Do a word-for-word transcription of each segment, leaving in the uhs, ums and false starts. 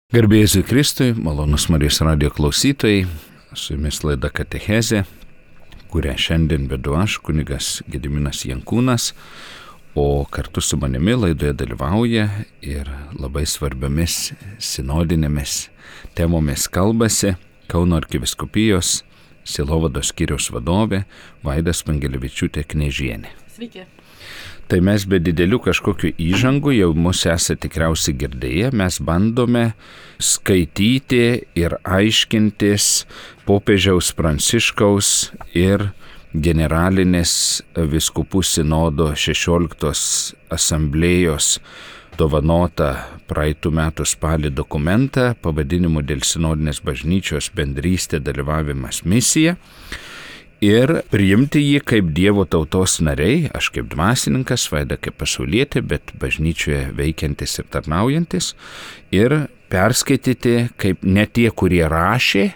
Garbė Jėzui Kristui, malonus Marijos radijo klausytojai, su jumis laida Katechezė, kurią šiandien vedu aš, kunigas Gediminas Jankūnas, o kartu su manimi laidoje dalyvauja ir labai svarbiomis sinodinėmis temomis kalbasi Kauno arkivyskupijos sielovados skyriaus vadovė Vaida Spangelevičiūtė Knežienė. Sveiki. Tai mes be didelių kažkokių įžangų, jau mus esate tikriausiai girdėję, mes bandome skaityti ir aiškintis popiežiaus Pranciškaus ir generalinės vyskupų sinodo šešioliktos asamblėjos dovanotą praeitų metų spalį dokumentą pavadinimu dėl sinodinės bažnyčios bendrystė, dalyvavimas, misija. Ir priimti jį kaip Dievo tautos nariai, aš kaip dvasininkas, Vaida kaip pasaulietė, bet bažnyčioje veikiantis ir tarnaujantis, ir perskaityti kaip ne tie, kurie rašė,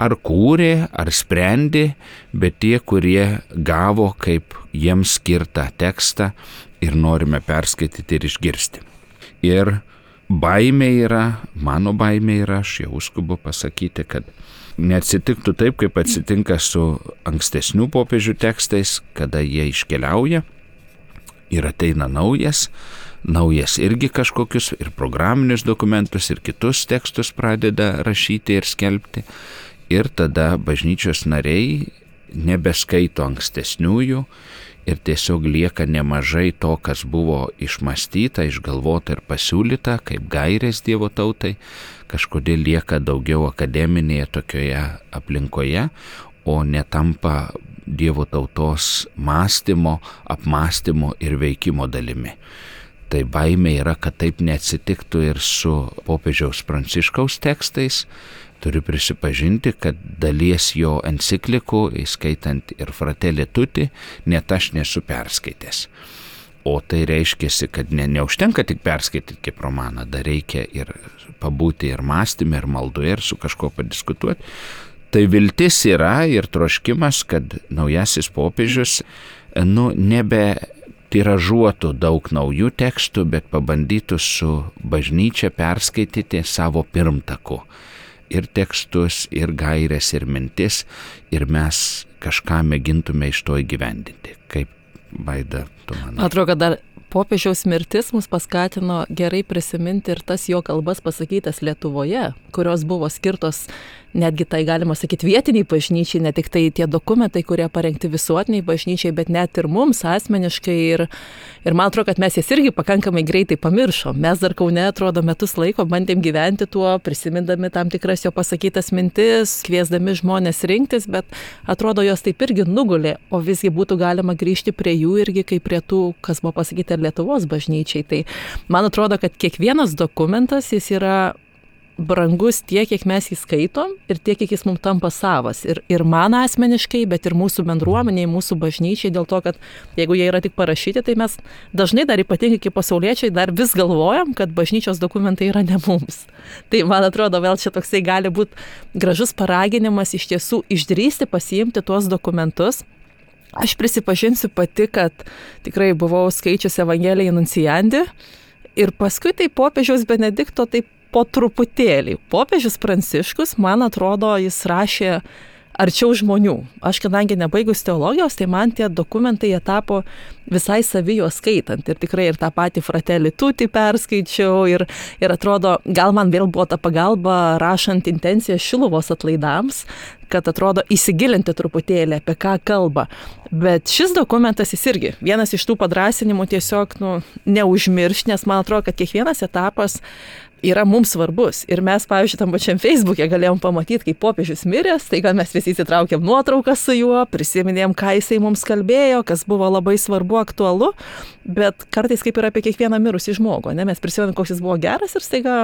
ar kūrė, ar sprendė, bet tie, kurie gavo kaip jiems skirtą tekstą ir norime perskaityti ir išgirsti. Ir baimė yra, mano baimė yra, aš jau skubu pasakyti, kad neatsitiktų taip, kaip atsitinka su ankstesnių popiežių tekstais, kada jie iškeliauja ir ateina naujas, naujas irgi kažkokius ir programinius dokumentus, ir kitus tekstus pradeda rašyti ir skelbti. Ir tada bažnyčios nariai nebeskaito ankstesniųjų ir tiesiog lieka nemažai to, kas buvo išmąstyta, išgalvota ir pasiūlyta kaip gairės Dievo tautai, kažkodėl lieka daugiau akademinėje tokioje aplinkoje, o netampa Dievo tautos mąstymo, apmąstymo ir veikimo dalimi. Tai baimė yra, kad taip neatsitiktų ir su popiežiaus Pranciškaus tekstais. Turiu prisipažinti, kad dalies jo enciklikų, įskaitant ir Fratelli Tutti, net aš nesu perskaitęs. O tai reiškia, kad ne, neužtenka tik perskaityti kaip romaną, dar reikia ir pabūti ir mąstymė, ir maldoje, ir su kažko padiskutuoti. Tai viltis yra ir troškimas, kad naujasis popiežius nu, nebe tiražuotų daug naujų tekstų, bet pabandytų su bažnyčia perskaityti savo pirmtaku. Ir tekstus, ir gairės, ir mintis, ir mes kažką mėgintume iš to įgyvendinti. Kaip, Vaida, tu manai? Atrodo, kad dar popiežiaus mirtis mus paskatino gerai prisiminti ir tas jo kalbas pasakytas Lietuvoje, kurios buvo skirtos netgi tai, galima sakyti, vietiniai bažnyčiai, ne tik tai tie dokumentai, kurie parengti visuotiniai bažnyčiai, bet net ir mums asmeniškai. Ir, ir man atrodo, kad mes jas irgi pakankamai greitai pamiršom. Mes dar Kaune, atrodo, metus laiko bandėm gyventi tuo, prisimindami tam tikras jo pasakytas mintis, kviesdami žmonės rinktis, bet atrodo, jos taip irgi nugulė, o visgi būtų galima grįžti prie jų irgi kaip prie tų, kas buvo pasakyta Lietuvos bažnyčiai. Tai man atrodo, kad kiekvienas dokumentas jis yra brangus tiek, kiek mes jį skaitom ir tiek, kiek jis mums tampa savas. Ir, ir man asmeniškai, bet ir mūsų bendruomeniai, mūsų bažnyčiai, dėl to, kad jeigu jie yra tik parašyti, tai mes dažnai dar ypatingai kaip pasauliečiai dar vis galvojam, kad bažnyčios dokumentai yra ne mums. Tai man atrodo, vėl čia toksai gali būti gražus paraginimas iš tiesų išdrįsti pasiimti tuos dokumentus. Aš prisipažinsiu pati, kad tikrai buvau skaičiusi Evangeliją Nunciandi ir paskui tai popiežiaus Benedikto taip po truputėlį. Popiežius Pranciškus, man atrodo, jis rašė arčiau žmonių. Aš kadangi nebaigus teologijos, tai man tie dokumentai jie tapo visai savijo skaitant. Ir tikrai ir tą patį Fratelli Tutti perskaičiau ir, ir atrodo, gal man vėl buvo ta pagalba rašant intenciją Šiluvos atlaidams, kad atrodo įsigilinti truputėlį, apie ką kalba. Bet šis dokumentas jis irgi vienas iš tų padrąsinimų tiesiog nu, neužmiršti, nes man atrodo, kad kiekvienas etapas yra mums svarbus. Ir mes, pavyzdžiui, tam pačiam Facebook'e galėjom pamatyti, kaip popiežius miręs, tai gal mes visi įsitraukėm nuotrauką su juo, prisiminėm, ką jisai mums kalbėjo, kas buvo labai svarbu, aktualu, bet kartais kaip ir apie kiekvieną mirusį žmogų, ne? Mes prisimenam, koks jis buvo geras ir staiga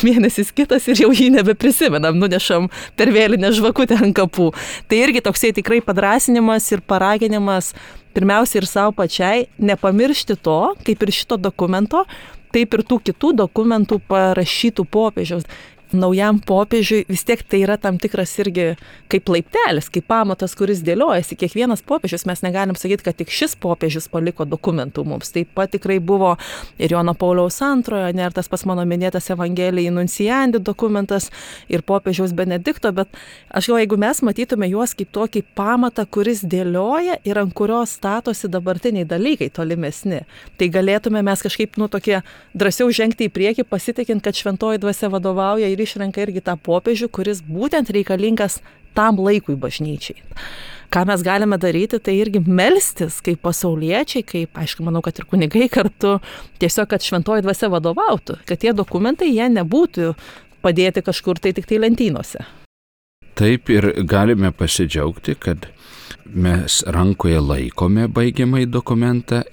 mėnesis kitas ir jau jį nebeprisimenam, nunešam per vėlinę žvakutę ant kapų. Tai irgi toksai tikrai padrąsinimas ir paraginimas pirmiausia ir savo pačiai nepamiršti to, kaip ir šito dokumento, taip ir tų kitų dokumentų parašytų popiežiaus. naujam popiežiui vis tiek tai yra tam tikras irgi kaip laiptelis, kaip pamatas, kuris dėliojasi. Kiekvienas popiežius, mes negalim sakyti, kad tik šis popiežius paliko dokumentų mums. Taip pat tikrai buvo ir Jono Pauliaus antrojo, ne ir tas pas mano minėtas Evangelijai Nunciandi dokumentas ir popiežiaus Benedikto, bet aš galvoju, jeigu mes matytume juos kaip tokį pamatą, kuris dėlioja ir ant kurios statosi dabartiniai dalykai tolimesni, tai galėtume mes kažkaip, nu, tokie drąsiau žengti į priekį, pasitikint, kad šventoji dvasia vadovauja ir išrenka irgi tą popiežių, kuris būtent reikalingas tam laikui bažnyčiai. Ką mes galime daryti, tai irgi melstis kaip pasauliečiai, kaip, aišku, manau, kad ir kunigai kartu, tiesiog, kad šventoji dvasia vadovautų, kad tie dokumentai jie nebūtų padėti kažkur tai tik tai lentynose. Taip ir galime pasidžiaugti, kad mes rankoje laikome baigiamąjį dokumentą,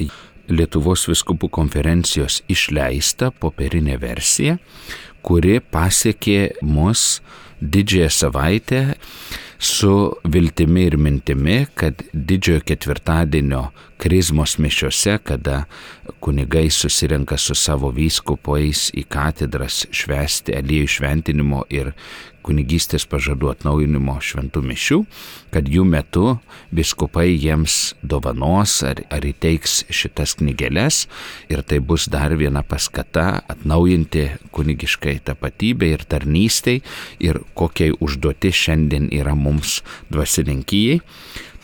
Lietuvos vyskupų konferencijos išleista popierinė versija, kuri pasiekė mus didžiąją savaitę su viltimi ir mintimi, kad didžiojo ketvirtadienio krizmos mišiose, kada kunigai susirenka su savo vyskupais į katedras švęsti aliejų šventinimo ir kunigystės pažadų atnaujinimo šventų mišių, kad jų metu vyskupai jiems dovanos ar, ar įteiks šitas knygeles ir tai bus dar viena paskata atnaujinti kunigiškai tapatybę ir tarnystei ir kokiai užduoti šiandien yra mums dvasininkijai.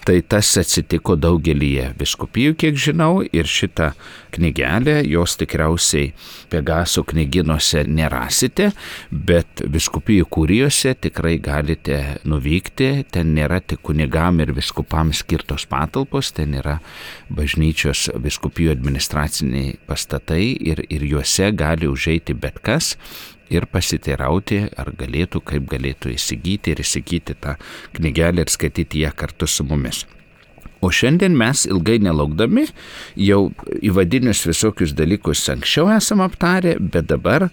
Tai tas atsitiko daugelyje vyskupijų, kiek žinau, ir šitą knygelę, jos tikriausiai Pegaso knygynuose nerasite, bet vyskupijų kurijose tikrai galite nuvykti, ten nėra tik kunigam ir vyskupams skirtos patalpos, ten yra bažnyčios vyskupijų administraciniai pastatai ir, ir juose gali užeiti bet kas ir pasiteirauti, ar galėtų, kaip galėtų įsigyti ir įsigyti tą knygelę ir skaityti ją kartu su mumis. O šiandien mes ilgai nelaukdami jau įvadinius visokius dalykus anksčiau esam aptarę, bet dabar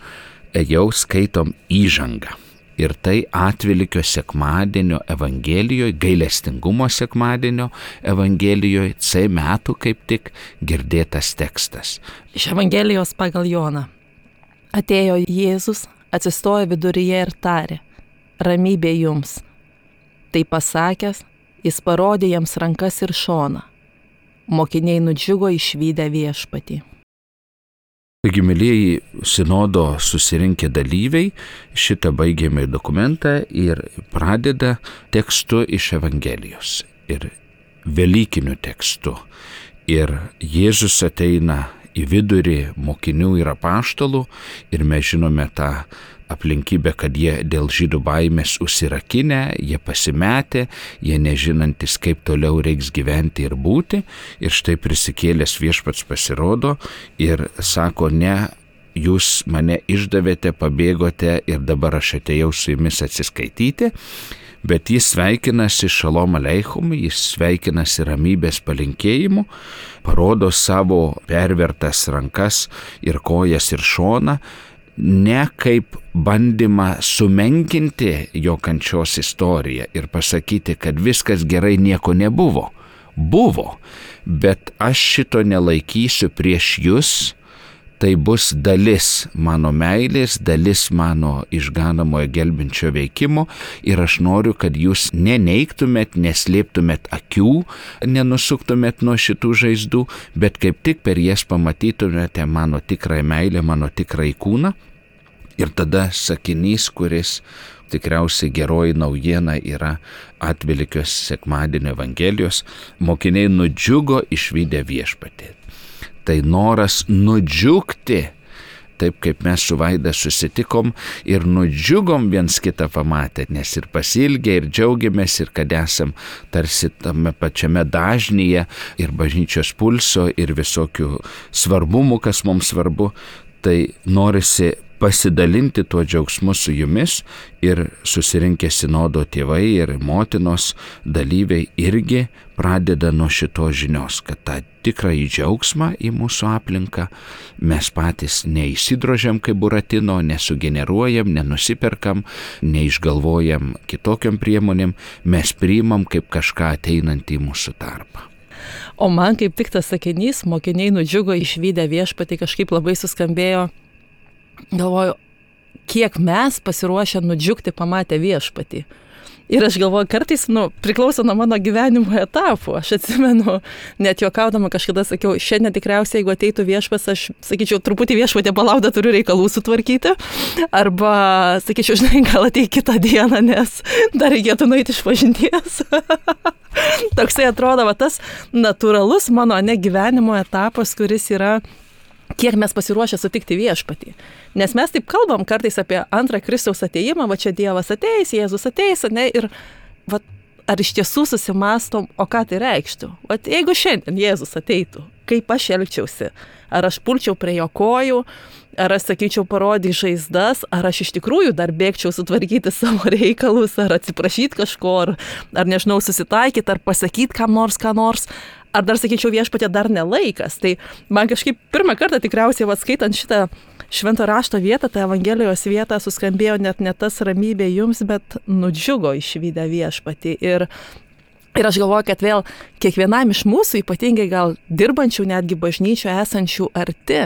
jau skaitom įžangą. Ir tai Atvelykio sekmadienio Evangelijoje, gailestingumo sekmadienio Evangelijoje, C metų kaip tik girdėtas tekstas. Iš Evangelijos pagal Joną. Atėjo Jėzus, atsistojo viduryje ir tarė, ramybė jums. Tai pasakęs, jis parodė jiems rankas ir šoną. Mokiniai nudžiugo išvydę viešpatį. Taigi, mylieji sinodo susirinkę dalyviai šitą baigiamąjį dokumentą ir pradeda tekstu iš Evangelijos ir velykiniu tekstu. Ir Jėzus ateina į vidurį mokinių ir apaštalų ir mes žinome tą aplinkybę, kad jie dėl žydų baimės užsirakinę, jie pasimetę, jie nežinantis, kaip toliau reiks gyventi ir būti. Ir štai prisikėlęs viešpats pasirodo ir sako, ne, jūs mane išdavėte, pabėgote ir dabar aš atėjau su jumis atsiskaityti. Bet jis sveikinasi šalom aleichum, jis sveikinasi ramybės palinkėjimu, parodo savo pervertas rankas ir kojas ir šoną, ne kaip bandymą sumenkinti jo kančios istoriją ir pasakyti, kad viskas gerai, nieko nebuvo. Buvo, bet aš šito nelaikysiu prieš jūs. Tai bus dalis mano meilės, dalis mano išganamojo gelbinčio veikimo ir aš noriu, kad jūs neneigtumėt, neslėptumėt akių, nenusuktumėt nuo šitų žaizdų, bet kaip tik per jas pamatytumėte mano tikrąją meilę, mano tikrąjį kūną. Ir tada sakinys, kuris tikriausiai geroji naujiena yra Atvelykio sekmadienio Evangelijos, mokiniai nudžiugo išvydę viešpatį. Tai noras nudžiugti, taip kaip mes su Vaida susitikom ir nudžiugom viens kitą pamatę, nes ir pasilgę, ir džiaugiamės, ir kad esam tarsi tame pačiame dažnyje, ir bažnyčios pulso, ir visokių svarbumų, kas mums svarbu, tai norisi pasidalinti tuo džiaugsmu su jumis ir susirinkę sinodo tėvai ir motinos dalyviai irgi pradeda nuo šitos žinios, kad tą tikrąjį džiaugsmą į mūsų aplinką mes patys neįsidrožiam kaip Buratino, nesugeneruojam, nenusiperkam, neišgalvojam kitokiam priemonėm, mes priimam kaip kažką ateinantį į mūsų tarpą. O man kaip tik tas sakinys, mokiniai nudžiugo išvydę viešpatį, kažkaip labai suskambėjo. Galvoju, kiek mes pasiruošę nudžiugti pamatę viešpatį. Ir aš galvoju, kartais, nu, priklauso nuo mano gyvenimo etapų. Aš atsimenu, net juokaudama kažkada sakiau, šiandien tikriausiai, jeigu ateitų viešpas, aš sakyčiau, truputį viešpatė palaukda, turiu reikalų sutvarkyti. Arba, sakyčiau, žinai, gal ateik kitą dieną, nes dar reikėtų nueiti iš pažinties. Toksai atrodo, va, tas natūralus mano ne gyvenimo etapas, kuris yra, kiek mes pasiruošę sutikti viešpatį. Nes mes taip kalbam kartais apie antrą Kristaus atėjimą, va čia Dievas ateis, Jėzus ateis, ne, ir va, ar iš tiesų susimastom, o ką tai reikštų? Va, jeigu šiandien Jėzus ateitų, kaip aš elgčiausi? Ar aš pulčiau prie jo kojų, ar aš sakyčiau parodyk žaizdas, ar aš iš tikrųjų dar bėgčiau sutvarkyti savo reikalus, ar atsiprašyti kažko, ar, ar nežinau, susitaikyti, ar pasakyti kam nors, ką nors, ar dar sakyčiau viešpatė dar nelaikas. Tai man kažkaip pirmą kartą tikriausiai, va, skaitant šitą švento rašto vietą, tą Evangelijos vietą, suskambėjo net ne tas ramybė jums, bet nudžiugo išvydę viešpatį. Ir Ir aš galvoju, kad vėl kiekvienam iš mūsų, ypatingai gal dirbančių netgi bažnyčioje esančių arti,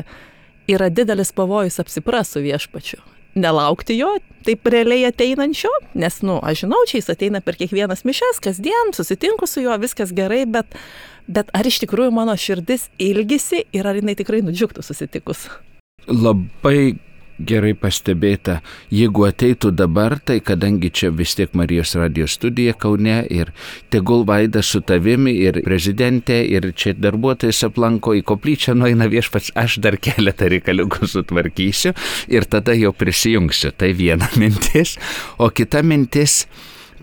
yra didelis pavojus apsiprasti su viešpačiu. Nelaukti jo, taip realiai ateinančio, nes, nu, aš žinau, čia jis ateina per kiekvienas mišes, kasdien, susitinku su juo, viskas gerai, bet, bet ar iš tikrųjų mano širdis ilgisi ir ar jinai tikrai nudžiugtų susitikus? Labai gerai pastebėta, jeigu ateitų dabar, tai kadangi čia vis tiek Marijos radijo studija Kaune ir tegul Vaida su tavimi ir prezidentė ir čia darbuotojas aplanko, į koplyčią nueina viešpats, aš dar keletą reikaliukų sutvarkysiu ir tada jau prisijungsiu. Tai viena mintis, o kita mintis,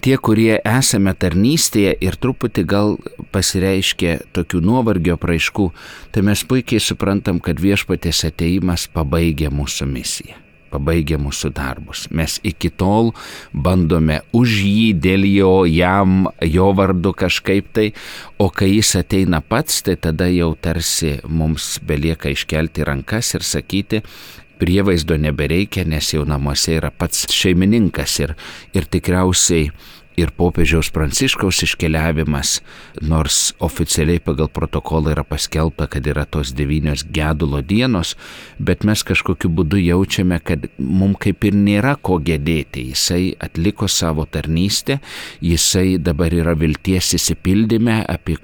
tie, kurie esame tarnystėje ir truputį gal pasireiškia tokių nuovargio apraiškų, tai mes puikiai suprantam, kad viešpaties ateimas pabaigia mūsų misiją, pabaigia mūsų darbus. Mes iki tol bandome už jį, dėl jo, jam, jo vardu kažkaip tai, o kai jis ateina pats, tai tada jau tarsi mums belieka iškelti rankas ir sakyti, prievaizdo nebereikia, nes jau namuose yra pats šeimininkas ir, ir tikriausiai ir popiežiaus Pranciškaus iškeliavimas, nors oficialiai pagal protokolą yra paskelbta, kad yra tos devynios gedulo dienos, bet mes kažkokiu būdu jaučiame, kad mums kaip ir nėra ko gedėti. Jisai atliko savo tarnystę, jisai dabar yra vilties įsipildyme, apie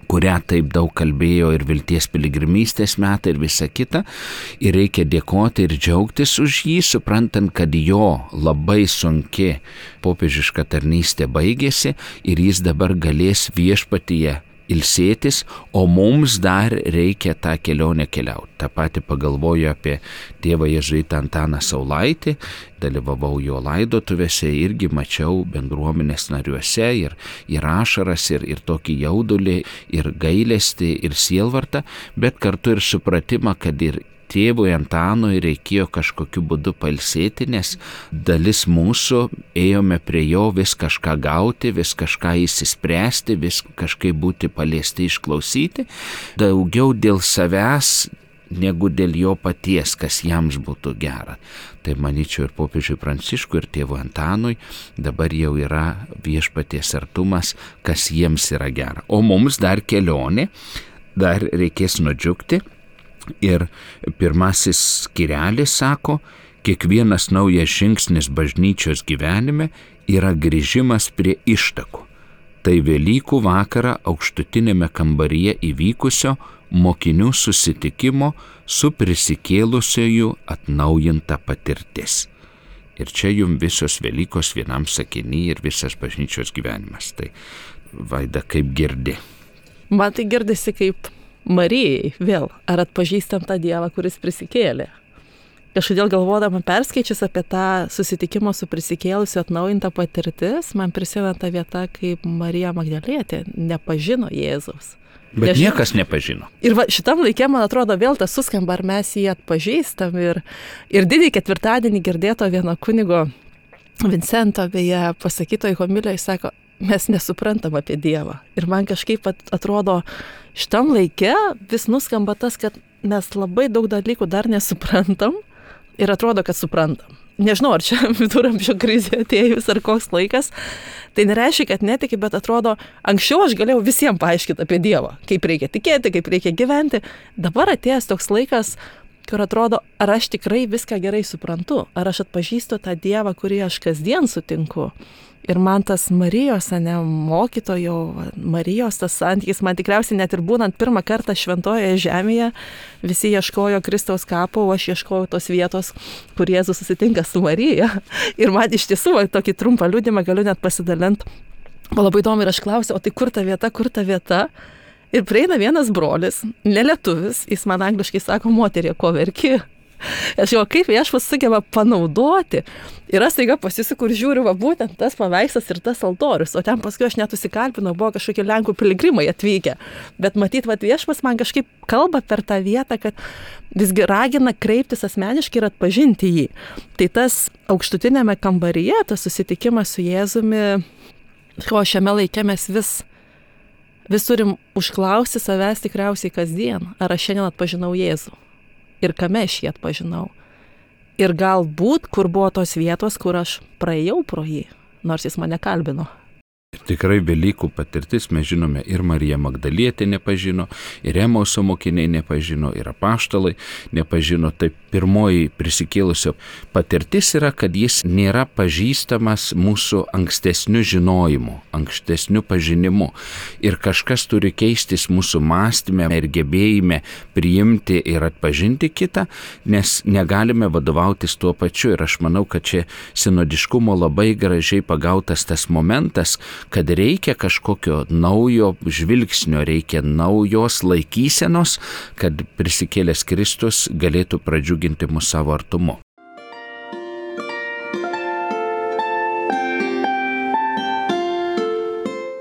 kurią taip daug kalbėjo ir vilties piligrimystės metai ir visa kita. Ir reikia dėkoti ir džiaugtis už jį, suprantant, kad jo labai sunki popiežiška tarnystė baigėsi ir jis dabar galės viešpatyje ilsėtis, o mums dar reikia tą kelionę keliauti. Ta pati pagalvoju apie tėvą jėzuitą Antaną Saulaitį, dalyvavau jo laidotuvėse, irgi mačiau bendruomenės nariuose ir, ir ašaras, ir, ir tokį jaudulį, ir gailestį, ir sielvartą, bet kartu ir supratimą, kad ir tėvui Antanui reikėjo kažkokiu būdu pailsėti, nes dalis mūsų ėjome prie jo vis kažką gauti, vis kažką įsispręsti, vis kažkaip būti paliesti, išklausyti, daugiau dėl savęs negu dėl jo paties, kas jiems būtų gera. Tai manyčiau ir popiežiui Pranciškui, ir tėvui Antanui dabar jau yra viešpaties artumas, kas jiems yra gera. O mums dar kelionė, dar reikės nudžiugti. Ir pirmasis skirelis sako, kiekvienas naujas žingsnis bažnyčios gyvenime yra grįžimas prie ištakų. Tai Velykų vakarą aukštutinėme kambaryje įvykusio mokinių susitikimo su prisikėlusiųjų atnaujinta patirtis. Ir čia jums visos Velykos vienam sakiny ir visas bažnyčios gyvenimas. Tai Vaida, kaip girdi? Man tai girdisi kaip Marijai vėl, ar atpažįstam tą Dievą, kuris prisikėlė. Kažkodėl galvodama perskaičius apie tą susitikimo su prisikėlusiu atnaujintą patirtis, man prisimena ta vieta, kaip Marija Magdalietė nepažino Jėzaus. Bet Nežinau. Niekas nepažino. Ir va, šitam laikė, man atrodo, vėl tas suskamba, ar mes jį atpažįstam. Ir, ir didįjį ketvirtadienį girdėto vieno kunigo Vincento, beje, pasakytoje homilijoje, sako, mes nesuprantam apie Dievą. Ir man kažkaip atrodo, šitam laikė vis nuskamba tas, kad mes labai daug dalykų dar nesuprantam ir atrodo, kad suprantam. Nežinau, ar čia viduramžio krizė atėjus ar koks laikas. Tai nereiškia, kad netiki, bet atrodo, anksčiau aš galėjau visiems paaiškinti apie Dievą, kaip reikia tikėti, kaip reikia gyventi. Dabar atėjęs toks laikas kur atrodo, ar aš tikrai viską gerai suprantu, ar aš atpažįstu tą Dievą, kurį aš kasdien sutinku. Ir man tas Marijos, ne, mokytojo, Marijos tas santykis, man tikriausiai net ir būnant pirmą kartą šventojoje žemėje, visi ieškojo Kristaus kapo, o aš ieškojau tos vietos, kur Jėzus susitinka su Marija. Ir man iš tiesų, tokį trumpą liudimą galiu net pasidalinti. O labai įdomu ir aš klausiau, o tai kur ta vieta, kur ta vieta? Ir prieina vienas brolis, nelietuvis, jis man angliškai sako, moterie, ko verki? Aš jau kaip viešpats sugeba panaudoti. Ir aš staiga pasisuku ir žiūriu, va būtent tas paveikslas ir tas altorius. O ten paskui aš net susikalbinau, buvo kažkokie Lenkų piligrimai atvykę. Bet matyt, va viešpats man kažkaip kalba per tą vietą, kad visgi ragina kreiptis asmeniškai ir atpažinti jį. Tai tas aukštutinėme kambaryje, tas susitikimas su Jėzumi, ko šiame laike mes vis Vis turim užklausti savęs tikriausiai kasdien, ar aš šiandien atpažinau Jėzų ir kame aš jį atpažinau. Ir galbūt, kur buvo tos vietos, kur aš praėjau pro jį, nors jis mane kalbino. Tikrai Velykų patirtis, mes žinome, ir Marija Magdalietė nepažino, ir Emauso mokiniai nepažino, ir apaštalai nepažino. Tai pirmoji prisikėlusio patirtis yra, kad jis nėra pažįstamas mūsų ankstesniu žinojimu, ankstesniu pažinimu. Ir kažkas turi keistis mūsų mąstyme ir gebėjime priimti ir atpažinti kitą, nes negalime vadovautis tuo pačiu. Ir aš manau, kad čia sinodiškumo labai gražiai pagautas tas momentas, kad reikia kažkokio naujo žvilgsnio, reikia naujos laikysenos, kad prisikėlęs Kristus galėtų pradžiuginti mus savo artumu.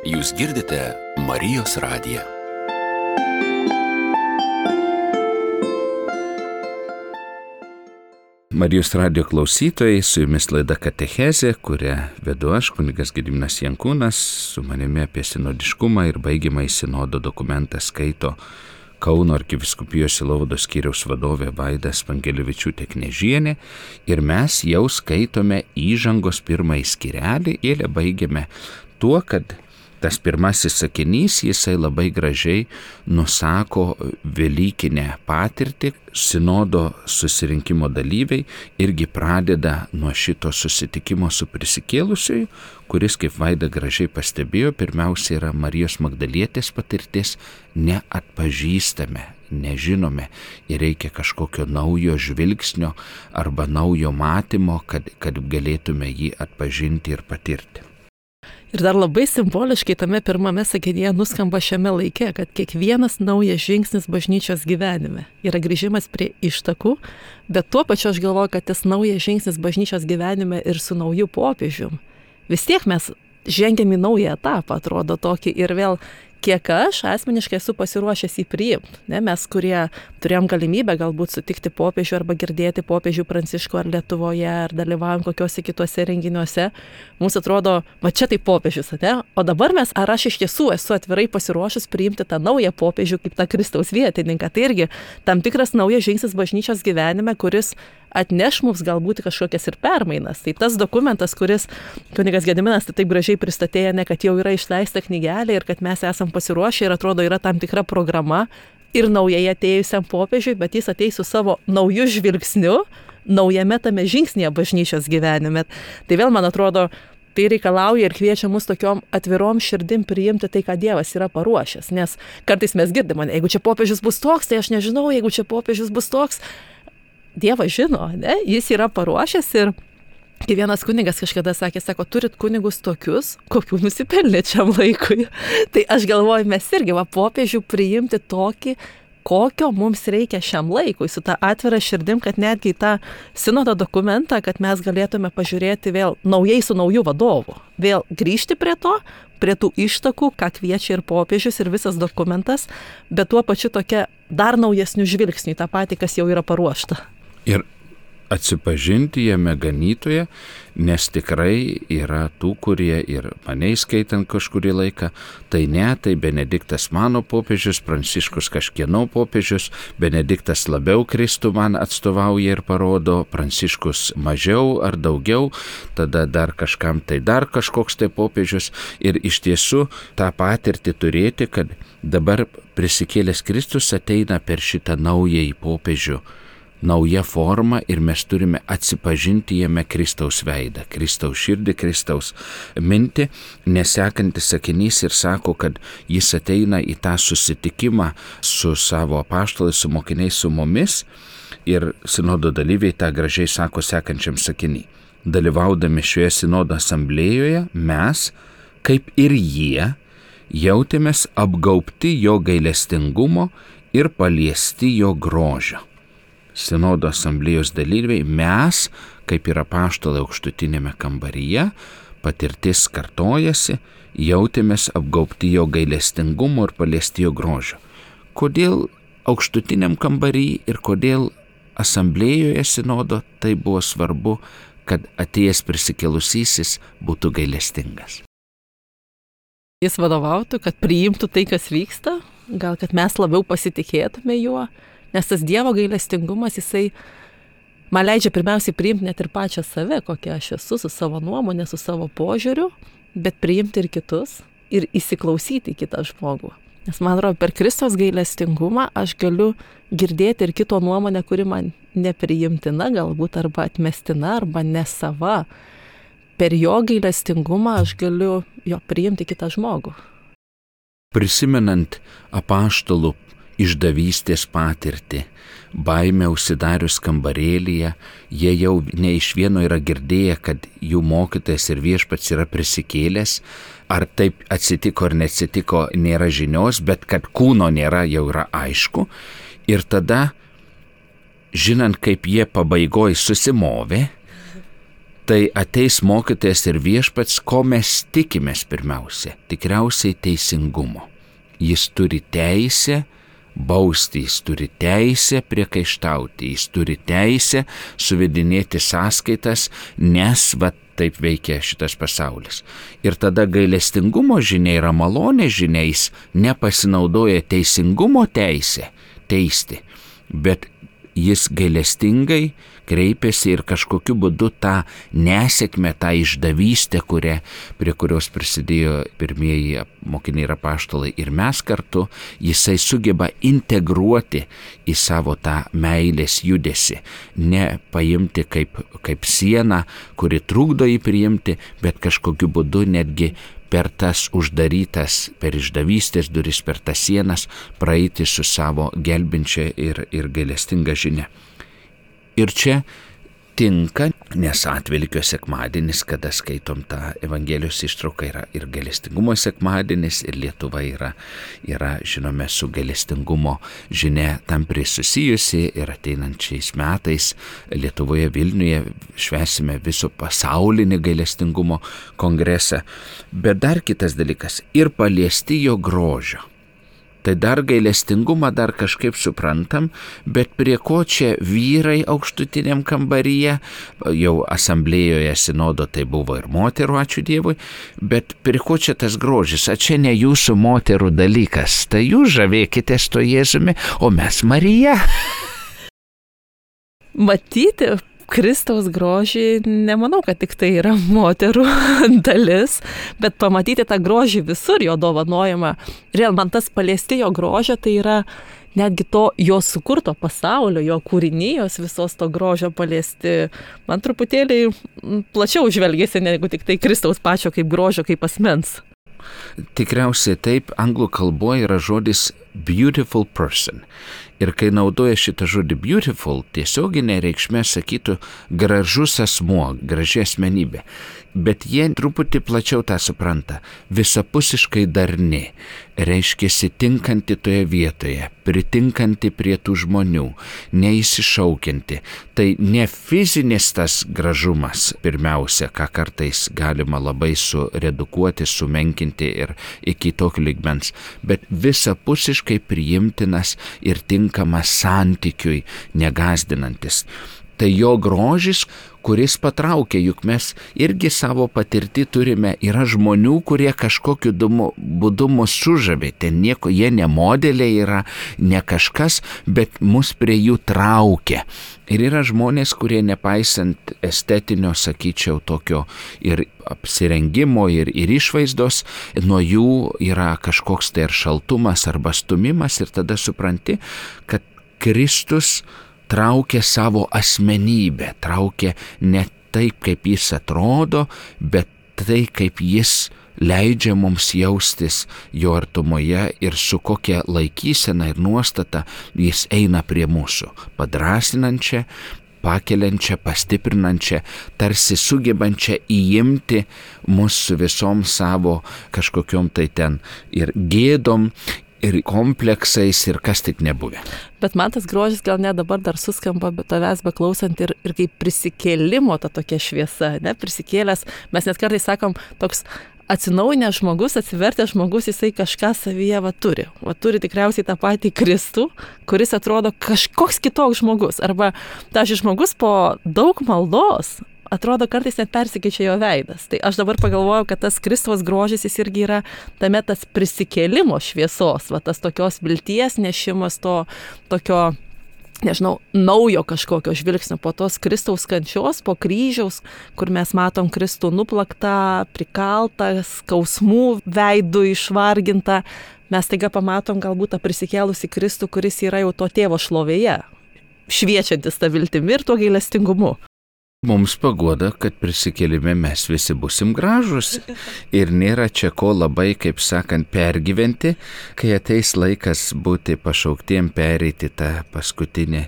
Jūs girdite Marijos radiją. Marijos radijo klausytojai, su jumis laida Katechezė, kurią vedu aš, kunigas Gediminas Jankūnas, su manimi apie sinodiškumą ir baigiamąjį sinodo dokumentą skaito Kauno arkivyskupijos Sielovados skyriaus vadovė Vaida Spangelevičiūtė Knežienė, ir mes jau skaitome įžangos pirmąjį skyrelį ir baigiame tuo, kad tas pirmasis sakinys, jisai labai gražiai nusako velykinę patirtį. Sinodo susirinkimo dalyviai irgi pradeda nuo šito susitikimo su prisikėlusiuoju, kuris, kaip Vaida gražiai pastebėjo, pirmiausia yra Marijos Magdalietės patirtis, neatpažįstame, nežinome ir reikia kažkokio naujo žvilgsnio arba naujo matymo, kad, kad galėtume jį atpažinti ir patirti. Ir dar labai simboliškai tame pirmame sakinyje nuskamba šiame laike, kad kiekvienas naujas žingsnis bažnyčios gyvenime yra grįžimas prie ištakų, bet tuo pačiu aš galvoju, kad tas naujas žingsnis bažnyčios gyvenime ir su nauju popiežium. Vis tiek mes žengiam į naują etapą, atrodo tokį, ir vėl kiek aš asmeniškai esu pasiruošęs jį priimti. Ne, mes, kurie turėjom galimybę galbūt sutikti popiežių arba girdėti popiežių Pranciškų ar Lietuvoje, ar dalyvaujam kokiuose kituose renginiuose, mums atrodo, va čia tai popiežius, ne? O dabar mes, ar aš iš tiesų esu atvirai pasiruošęs priimti tą naują popiežių kaip tą Kristaus vietininką. Tai irgi tam tikras naujas žingsnis bažnyčios gyvenime, kuris atneš mums galbūt kažkokias ir permainas. Tai tas dokumentas, kuris kunigas Gediminas tai taip gražiai pristatė, ne, kad jau yra išleista knygelė ir kad mes esam pasiruošę ir atrodo yra tam tikra programa ir naujai atėjusiam popiežiui, bet jis ateis su savo nauju žvilgsniu, naujame tame žingsnėje bažnyčios gyvenime. Tai vėl, man atrodo, tai reikalauja ir kviečia mus tokiom atvirom širdim priimti tai, ką Dievas yra paruošęs. Nes kartais mes girdime, jeigu čia popiežius bus toks, tai aš nežinau, jeigu čia popiežius bus toks. Dievas žino, ne? Jis yra paruošęs ir kai vienas kunigas kažkada sakė, sako, turit kunigus tokius, kokių nusipelnė šiam laikui. Tai aš galvoju, mes irgi va popiežių priimti tokį, kokio mums reikia šiam laikui, su tą atvirą širdim, kad netgi tą sinodo dokumentą, kad mes galėtume pažiūrėti vėl naujai su nauju vadovu. Vėl grįžti prie to, prie tų ištakų, ką kviečia ir popiežius, ir visas dokumentas, bet tuo pačiu tokia dar naujesnių žvilgsnių į tą patį, kas jau yra paruošta. Ir atsipažinti jame ganytoje, nes tikrai yra tų, kurie ir mane įskaitant kažkurį laiką, tai ne, tai Benediktas mano popiežius, Pranciškus kažkieno popiežius, Benediktas labiau Kristų man atstovauja ir parodo, Pranciškus mažiau ar daugiau, tada dar kažkam tai dar kažkoks tai popiežius. Ir iš tiesų tą patirtį turėti, kad dabar prisikėlęs Kristus ateina per šitą naująjį popiežių nauja forma ir mes turime atsipažinti jame Kristaus veidą, Kristaus širdį, Kristaus mintį, nes sekantis sakinys ir sako, kad jis ateina į tą susitikimą su savo apaštalais, su mokiniais, su mumis ir sinodo dalyviai tą gražiai sako sekančiam sakiny. Dalyvaudami šioje sinodo asamblėjoje mes, kaip ir jie, jautėmės apgaubti jo gailestingumo ir paliesti jo grožio. Sinodo asamblėjos dalyviai, mes, kaip ir apaštalai aukštutinėme kambaryje, patirtis kartojasi, jautėmės apgaubti jo gailestingumo ir paliesti jo grožio. Kodėl aukštutiniam kambaryje ir kodėl asamblėjoje sinodo tai buvo svarbu, kad atėjęs prisikėlusysis būtų gailestingas? Jis vadovautų, kad priimtų tai, kas vyksta, gal kad mes labiau pasitikėtume juo, nes tas Dievo gailestingumas, jisai man leidžia pirmiausiai priimti net ir pačią save, kokia aš esu, su savo nuomonė, su savo požiūriu, bet priimti ir kitus ir įsiklausyti į kitą žmogų. Nes man atrodo, per Kristaus gailestingumą aš galiu girdėti ir kito nuomonę, kuri man nepriimtina, galbūt arba atmestina, arba nesava. Per jo gailestingumą aš galiu jo priimti kitą žmogų. Prisimenant apaštalų išdavystės patirtį, baimę užsidarius kambarėlyje, jie jau ne iš vieno yra girdėję, kad jų mokytojas ir viešpats yra prisikėlęs, ar taip atsitiko ar neatsitiko, nėra žinios, bet kad kūno nėra, jau yra aišku. Ir tada, žinant, kaip jie pabaigoj susimovė, tai ateis mokytojas ir viešpats, ko mes tikimės pirmiausia, tikriausiai teisingumo. Jis turi teisę bausti, jis turi teisę priekaištauti, jis turi teisę suvedinėti sąskaitas, nes va taip veikia šitas pasaulis. Ir tada gailestingumo žinia yra malonė žinia, jis nepasinaudoja teisingumo teisę teisti, bet jis gailestingai kreipėsi ir kažkokiu būdu tą nesėkmę, tą išdavystę, kuria, prie kurios prisidėjo pirmieji mokiniai ir apaštalai ir mes kartu, jisai sugeba integruoti į savo tą meilės judesį, ne paimti kaip, kaip sieną, kuri trukdo jį priimti, bet kažkokiu būdu netgi per tas uždarytas, per išdavystės duris, per tas sienas praeiti su savo gelbinčia ir, ir gailestinga žinia. Ir čia tinka, nes Atvelykio sekmadienis, kada skaitom tą Evangelijos ištrauką, yra ir gailestingumo sekmadienis, ir Lietuva yra, yra žinome, su gailestingumo žinia tampri susijusi, ir ateinančiais metais Lietuvoje Vilniuje švęsime viso pasaulinį gailestingumo kongresą. Bet dar kitas dalykas, ir paliesti jo grožio. Tai dar gailestingumą dar kažkaip suprantam, bet prie ko čia vyrai aukštutiniam kambaryje, jau asamblėjoje sinodo tai buvo ir moterų, ačiū Dievui, bet prie ko čia tas grožis, a čia ne jūsų moterų dalykas, tai jūs žavėkitės to Jėzumi, o mes Marija. Matyti Kristaus grožį, nemanau, kad tik tai yra moterų dalis, bet pamatyti tą grožį visur, jo dovanojimą. Real, man tas paliesti jo grožio, tai yra netgi to jo sukurto pasaulio, jo kūrinijos visos to grožio paliesti. Man truputėlį plačiau žvelgėsi, negu tik tai Kristaus pačio kaip grožio, kaip asmens. Tikriausiai taip, anglų kalboje yra žodis beautiful person. Ir kai naudoja šitą žodį beautiful, tiesioginė reikšmė sakytų gražus asmuo, graži asmenybė. Bet jie truputį plačiau tą supranta. Visapusiškai darni, reiškiasi tinkanti toje vietoje, pritinkanti prie tų žmonių, neįsišaukianti. Tai ne fizinis tas gražumas pirmiausia, ką kartais galima labai suredukuoti, sumenkinti ir iki tokio lygmens, bet visapusiškai priimtinas ir tinkamas santykiui, negazdinantis. Tai jo grožis, kuris patraukia, juk mes irgi savo patirtį turime, yra žmonių, kurie kažkokiu būdu mus sužavė, ten nieko, jie ne modeliai yra, ne kažkas, bet mus prie jų traukia. Ir yra žmonės, kurie nepaisant estetinio, sakyčiau, tokio ir apsirengimo, ir, ir išvaizdos, nuo jų yra kažkoks tai ar šaltumas, arba stumimas, ir tada supranti, kad Kristus traukia savo asmenybę, traukia ne taip, kaip jis atrodo, bet tai, kaip jis leidžia mums jaustis jo artumoje ir su kokia laikysena ir nuostata jis eina prie mūsų, padrasinančia, pakeliančia, pastiprinančia, tarsi sugebančia įimti mus su visom savo kažkokiom tai ten ir gėdom, ir kompleksais, ir kas tik nebuvę. Bet man tas grožis gal net dabar dar suskamba, bet tavęs beklausant ir, ir kaip prisikėlimo ta tokia šviesa, ne, prisikėlęs, mes net kartais sakom, toks atsinaujinęs žmogus, atsivertęs žmogus, jisai kažką savyje va turi. Va turi tikriausiai tą patį Kristų, kuris atrodo kažkoks kitoks žmogus. Arba tas žmogus po daug maldos atrodo kartais net persikeičia jo veidas. Tai aš dabar pagalvojau, kad tas Kristaus grožis jis irgi yra tame tas prisikėlimo šviesos, va tas tokios vilties nešimas, to tokio, nežinau, naujo kažkokio žvilgsnio po tos Kristaus kančios, po kryžiaus, kur mes matom Kristų nuplaktą, prikaltą, skausmų veidų išvargintą. Mes taiga pamatom galbūt tą prisikėlusį Kristų, kuris yra jau to tėvo šlovėje, šviečiantis tą viltimi ir tuo gailestingumu. Mums paguoda, kad prisikėlime mes visi busim gražus ir nėra čia ko labai, kaip sakant, pergyventi, kai ateis laikas būti pašauktiem pereiti tą paskutinį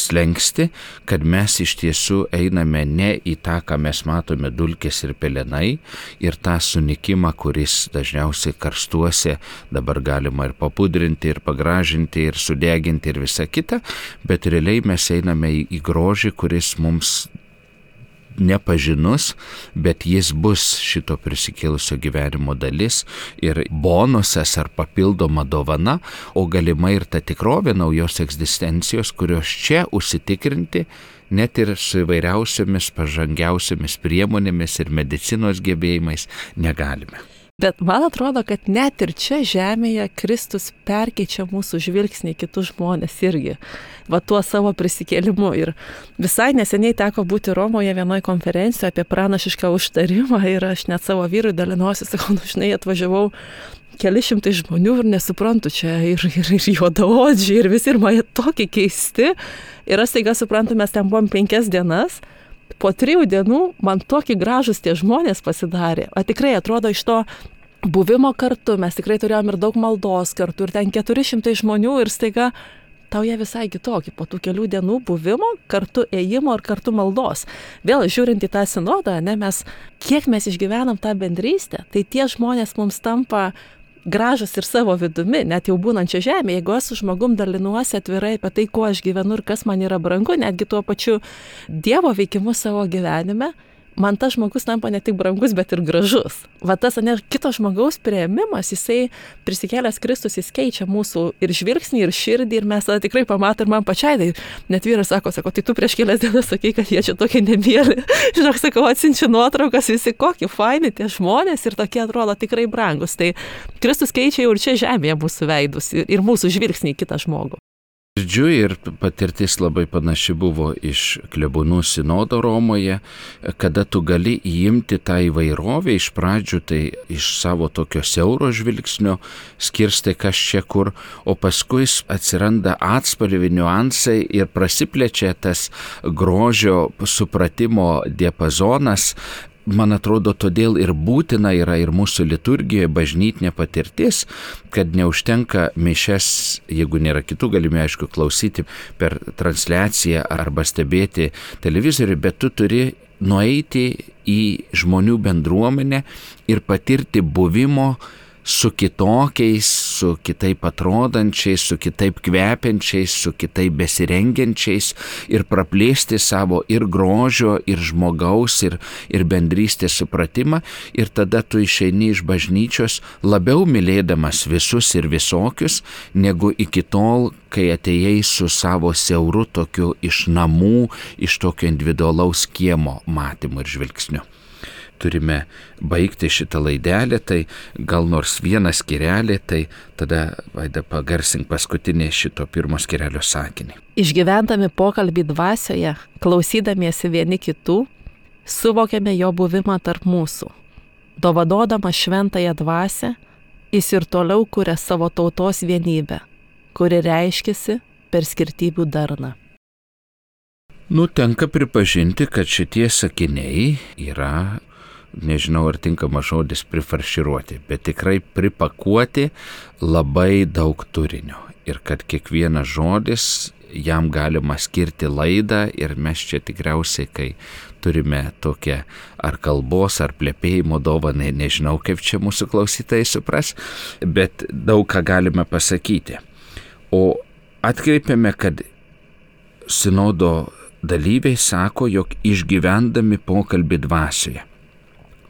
slenkstį, kad mes iš tiesų einame ne į tą, ką mes matome dulkės ir pelenai ir tą sunikimą, kuris dažniausiai karstuose dabar galima ir papudrinti, ir pagražinti, ir sudeginti ir visa kita, bet realiai mes einame į, į grožį, kuris mums nepažinus, bet jis bus šito prisikėlusio gyvenimo dalis ir bonusas ar papildoma dovana, o galima ir ta tikrovė naujos egzistencijos, kurios čia užsitikrinti net ir su įvairiausiomis pažangiausiomis priemonėmis ir medicinos gebėjimais negalime. Bet man atrodo, kad net ir čia žemėje Kristus perkeičia mūsų žvilgsnį į kitus žmonės irgi, va tuo savo prisikėlimu. Ir visai neseniai teko būti Romoje vienoje konferencijoje apie pranašišką užtarimą ir aš net savo vyrui dalinosi, sakau, nu žinai, atvažiavau keli šimtai žmonių ir nesuprantu čia ir, ir, ir juodaodžiai ir visi ir man tokie keisti. Ir aš staiga suprantu, mes ten buvom penkias dienas. Po trijų dienų man tokie gražus tie žmonės pasidarė. O tikrai atrodo iš to buvimo kartu, mes tikrai turėjom ir daug maldos kartu, ir ten keturi šimtai žmonių ir staiga tau jie visai kitokie. Po tų kelių dienų buvimo, kartu ėjimo ir kartu maldos. Vėl žiūrint į tą sinodą, ne, mes, kiek mes išgyvenam tą bendrystę, tai tie žmonės mums tampa gražus ir savo vidumi, net jau būnančia žemė, jeigu aš su žmogum dalinuosi atvirai apie tai, kuo aš gyvenu ir kas man yra brangu, netgi tuo pačiu Dievo veikimu savo gyvenime, man tas žmogus tampa ne tik brangus, bet ir gražus. Va tas, ne, kito žmogaus priėmimas, jisai prisikėlęs Kristus, jis keičia mūsų ir žvilgsnį, ir širdį, ir mes tada tikrai pamatom ir man pačiai. Tai net vyras sako, sako, tai tu prieš kelias dienas sakai, kad jie čia tokie nemėly. Žinok, sakau, atsiunčiu nuotraukas, visi kokie faini tie žmonės ir tokie atrodo tikrai brangus. Tai Kristus keičia jau ir čia žemėje mūsų veidus ir, ir mūsų žvilgsnį į kitą žmogų. Girdžiu ir patirtis labai panaši buvo iš klebonų sinodo Romoje, kada tu gali įimti tą įvairovę iš pradžių, tai iš savo tokio siauro žvilgsnio skirstai kas čia kur, o paskui atsiranda atspalvių niuansai ir prasiplečia tas grožio supratimo diapazonas. Man atrodo, todėl ir būtina yra ir mūsų liturgijoje bažnytinė patirtis, kad neužtenka mišias, jeigu nėra kitų galimybių, aišku, klausyti per transliaciją arba stebėti televizorių, bet tu turi nueiti į žmonių bendruomenę ir patirti buvimo su kitokiais, su kitaip atrodančiais, su kitaip kvepiančiais, su kitaip besirengiančiais ir praplėsti savo ir grožio, ir žmogaus, ir, ir bendrystės supratimą. Ir tada tu išeini iš bažnyčios labiau mylėdamas visus ir visokius, negu iki tol, kai atėjai su savo siauru tokiu iš namų, iš tokio individualaus kiemo matymu ir žvilgsniu. Turime baigti šitą laidelę, tai gal nors vieną skyrelį, tai tada, Vaida, pagarsink paskutinį šito pirmo skyrelio sakinį. Išgyvendami pokalbį dvasioje, klausydamiesi vieni kitų, suvokiame jo buvimą tarp mūsų. Dovadodama šventąją dvasią, jis ir toliau kuria savo tautos vienybę, kuri reiškiasi per skirtybių darną. Nu, tenka pripažinti, kad šitie sakiniai yra, nežinau ar tinkamas žodis, prifarširuoti, bet tikrai pripakuoti labai daug turinio. Ir kad kiekvienas žodis, jam galima skirti laidą ir mes čia tikriausiai, kai turime tokią ar kalbos, ar plepėjimo dovaną, nežinau kaip čia mūsų klausytojai supras, bet daug ką galime pasakyti. O atkreipiame, kad sinodo dalyviai sako, jog išgyvendami pokalbį dvasioje.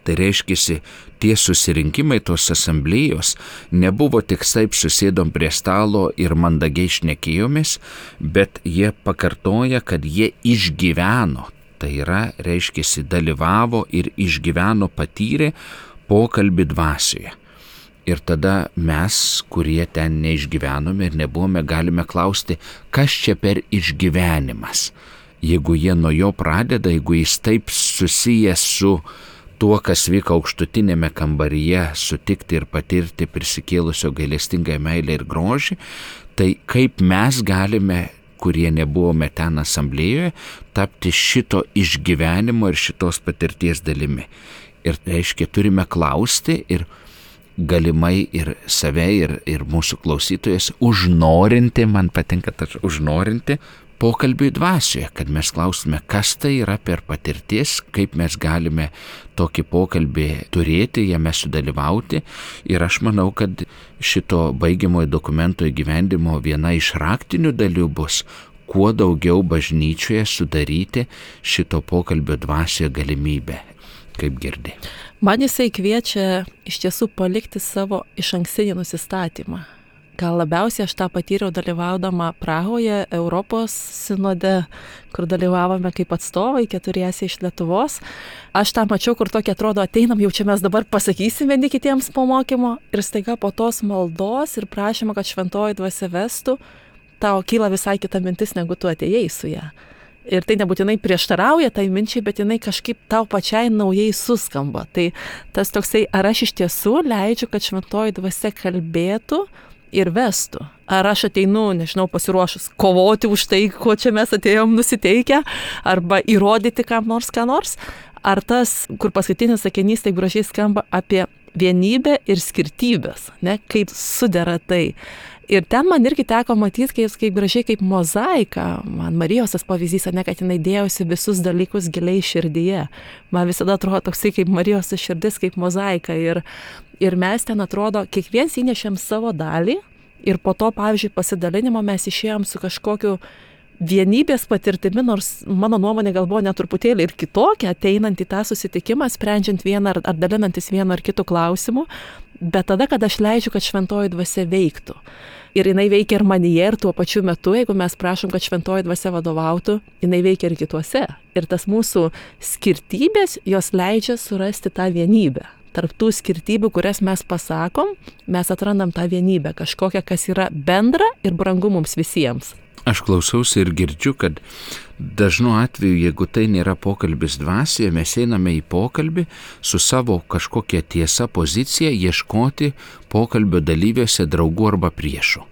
Tai reiškia, tie susirinkimai, tos asamblėjos nebuvo tik taip susėdom prie stalo ir mandagiai šnekėjomis, bet jie pakartoja, kad jie išgyveno. Tai yra, reiškia, dalyvavo ir išgyveno, patyrė pokalbį dvasioje. Ir tada mes, kurie ten neišgyvenome ir nebuvome, galime klausti, kas čia per išgyvenimas. Jeigu jie nuo jo pradeda, jeigu jis taip susijęs su tuo, kas vyko aukštutinėme kambaryje, sutikti ir patirti prisikėlusio gailestingąją meilę ir grožį, tai kaip mes galime, kurie nebuvome ten asamblėjoje, tapti šito išgyvenimo ir šitos patirties dalimi. Ir reiškia, turime klausti ir galimai ir save, ir, ir mūsų klausytojas užnorinti, man patinka tas užnorinti, pokalbiui dvasioje, kad mes klaustume, kas tai yra per patirtis, kaip mes galime tokį pokalbį turėti, jame sudalyvauti. Ir aš manau, kad šito baigiamojo dokumento įgyvendimo viena iš raktinių dalių bus, kuo daugiau bažnyčioje sudaryti šito pokalbio dvasioje galimybę, kaip girdi. Man jisai kviečia iš tiesų palikti savo išankstinį nusistatymą. Gal labiausiai aš tą patyriau dalyvaudama Prahoje, Europos sinode, kur dalyvavome kaip atstovai, keturiese iš Lietuvos. Aš tą mačiau, kur tokia atrodo, ateinam, jau čia mes dabar pasakysime vieni kitiems po mokymo ir staiga po tos maldos ir prašymo, kad šventoji dvasia vestų, tau kyla visai kita mintis, negu tu atėjai su ją. Ir tai nebūtinai prieštarauja tai minčiai, bet jinai kažkaip tau pačiai naujai suskamba. Tai tas toksai, ar aš iš tiesų leidžiu, kad šventoji dvasia kalbėtų ir vestų. Ar aš ateinu, nežinau, pasiruošus kovoti už tai, ko čia mes atėjom nusiteikę, arba įrodyti kam nors, ką nors. Ar tas, kur paskutinis sakinys taip gražiai skamba apie vienybę ir skirtybės, ne, kaip sudera tai. Ir ten man irgi teko matyti, kaip, kaip gražiai, kaip mozaika. Man Marijos tas pavyzdys, ne, kad jinai dėjosi visus dalykus giliai širdyje. Man visada atrodo toksai kaip Marijos širdis, kaip mozaika. Ir, ir mes ten atrodo, kiekvienas įnešėm savo dalį ir po to, pavyzdžiui, pasidalinimo mes išėjom su kažkokiu vienybės patirtimi, nors mano nuomonė gal buvo netruputėlį ir kitokia, ateinant į tą susitikimą, sprendžiant vieną ar, ar dalinantis vienu ar kitu klausimu, bet tada, kad aš leidžiu, kad šventoji dvasia veiktų. Ir jinai veikia ir manyje, ir tuo pačiu metu, jeigu mes prašom, kad šventoji dvasia vadovautų, jinai veikia ir kituose. Ir tas mūsų skirtybės, jos leidžia surasti tą vienybę. Tarp tų skirtybių, kurias mes pasakom, mes atrandam tą vienybę, kažkokią, kas yra bendra ir brangu mums visiems. Aš klausausi ir girdžiu, kad dažnu atveju, jeigu tai nėra pokalbis dvasioje, mes einame į pokalbį su savo kažkokia tiesa pozicija, ieškoti pokalbio dalyviuose draugų arba priešų.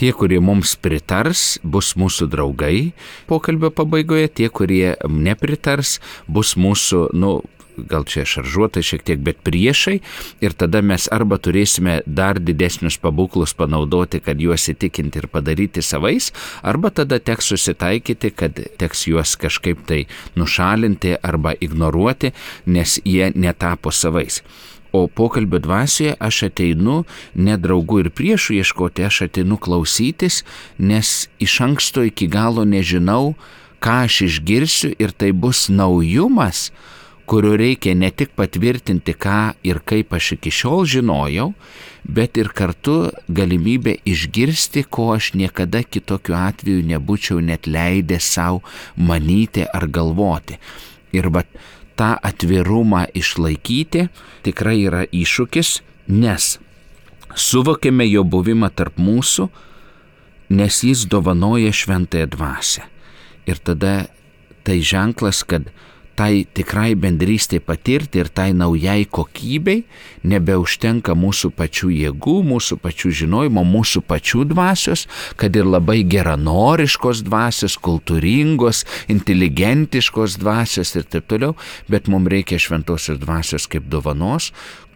Tie, kurie mums pritars, bus mūsų draugai pokalbio pabaigoje, tie, kurie nepritars, bus mūsų, nu, gal čia šaržuotai šiek tiek, bet priešai, ir tada mes arba turėsime dar didesnius pabūklus panaudoti, kad juos įtikinti ir padaryti savais, arba tada teks susitaikyti, kad teks juos kažkaip tai nušalinti arba ignoruoti, nes jie netapo savais. O pokalbio dvasioje aš ateinu ne draugų ir priešų ieškoti, aš ateinu klausytis, nes iš anksto iki galo nežinau, ką aš išgirsiu, ir tai bus naujumas, kurio reikia ne tik patvirtinti, ką ir kaip aš iki šiol žinojau, bet ir kartu galimybė išgirsti, ko aš niekada kitokiu atveju nebūčiau net leidęs savo manyti ar galvoti. Ir va, tą atvirumą išlaikyti tikrai yra iššūkis, nes suvokėme jo buvimą tarp mūsų, nes jis dovanoja šventąją dvasią. Ir tada tai ženklas, kad tai tikrai bendrystė patirti ir tai naujai kokybei nebeužtenka mūsų pačių jėgų, mūsų pačių žinojimo, mūsų pačių dvasios, kad ir labai geranoriškos dvasios, kultūringos, inteligentiškos dvasios ir taip toliau, bet mums reikia šventosios dvasios kaip dovanos,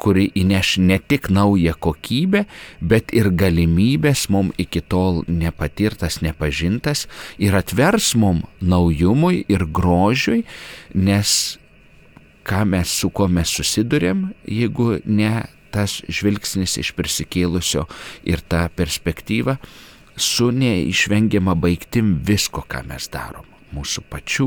kuri įneš ne tik naują kokybę, bet ir galimybės mums iki tol nepatirtas, nepažintas ir atvers mums naujumui ir grožiui, nes ką mes su kuo mes susidurėm, jeigu ne tas žvilgsnis iš prisikėlusio ir ta perspektyva su neišvengiama baigtim visko, ką mes darom. Mūsų pačių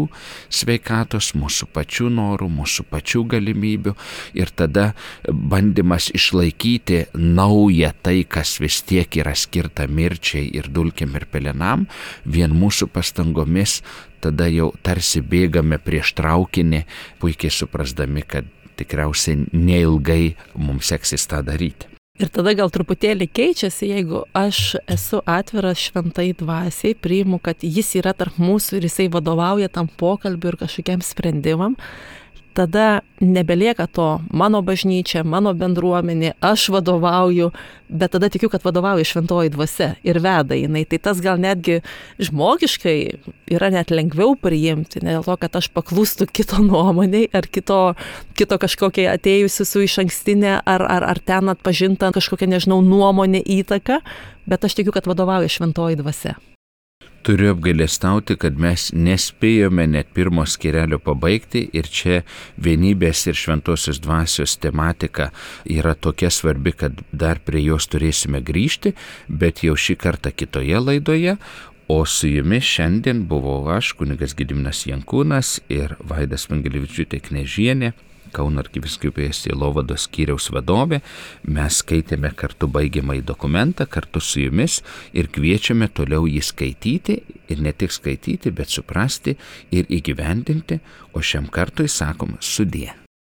sveikatos, mūsų pačių norų, mūsų pačių galimybių ir tada bandymas išlaikyti naują tai, kas vis tiek yra skirta mirčiai ir dulkėm ir pelenam, vien mūsų pastangomis tada jau tarsi bėgame prieš traukinį, puikiai suprasdami, kad tikriausiai neilgai mums seksis tą daryti. Ir tada gal truputėlį keičiasi, jeigu aš esu atviras šventai dvasiai, priimu, kad jis yra tarp mūsų ir jisai vadovauja tam pokalbiu ir kažkokiam sprendimam, tada nebelieka to mano bažnyčia, mano bendruomenė, aš vadovauju, bet tada tikiu, kad vadovauja šventoji dvasia ir veda jinai. Tai tas gal netgi žmogiškai yra net lengviau priimti, ne dėl to, kad aš paklūstu kito nuomoniai ar kito, kito kažkokiai atėjusi su išankstinė ar, ar, ar ten atpažinta kažkokia, nežinau, nuomonė įtaka, bet aš tikiu, kad vadovauja šventoji dvasia. Turiu apgailestauti, kad mes nespėjome net pirmo skyrelio pabaigti ir čia vienybės ir šventosios dvasios tematika yra tokia svarbi, kad dar prie jos turėsime grįžti, bet jau šį kartą kitoje laidoje, o su jumis šiandien buvau aš, kunigas Gediminas Jankūnas ir Vaida Smangelevičiūtė Knežienė, Kauno arkivyskupijos sielovados skyriaus vadovė. Mes skaitėme kartu baigiamąjį dokumentą kartu su jumis ir kviečiame toliau jį skaityti ir ne tik skaityti, bet suprasti ir įgyvendinti, o šiam kartui sakom sudie.